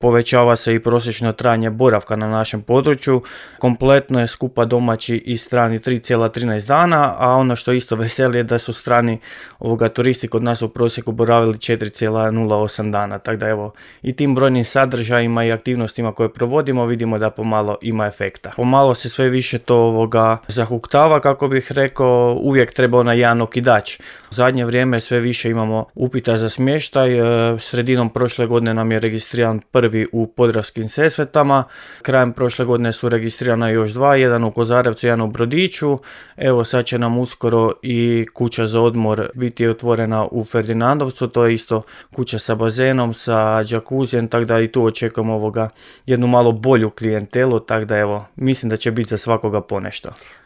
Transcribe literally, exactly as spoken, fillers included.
Povećava se i prosječno trajanje boravka na našem području. Kompletno je skupa domaći i strani tri zarez trinaest dana, a ono što isto veseli je da su strani ovoga turisti kod nas u prosjeku boravili četiri zarez nula osam dana. Tako da evo, i tim brojnim sadržajima i aktivnostima koje provodimo vidimo da pomalo ima efekta. Pomalo se sve više to ovoga zahuktava, kako bih rekao, uvijek treba onaj jedan okidač. U zadnje vrijeme sve više imamo upita za smještaj. Sredinom prošle godine nam je registriran prvi u Podravskim Sesvetama. Krajem prošle godine su registrirana još dva, jedan u Kozarevcu, jedan u Brodiću. Evo sad će nam uskoro i kuća za odmor biti otvorena u Ferdinandovcu, to je isto kuća sa bazenom, sa džakuzijem, tako da i tu očekujemo ovoga jednu malo bolju klijentelu, tako da evo, mislim da će biti za svakoga ponešto.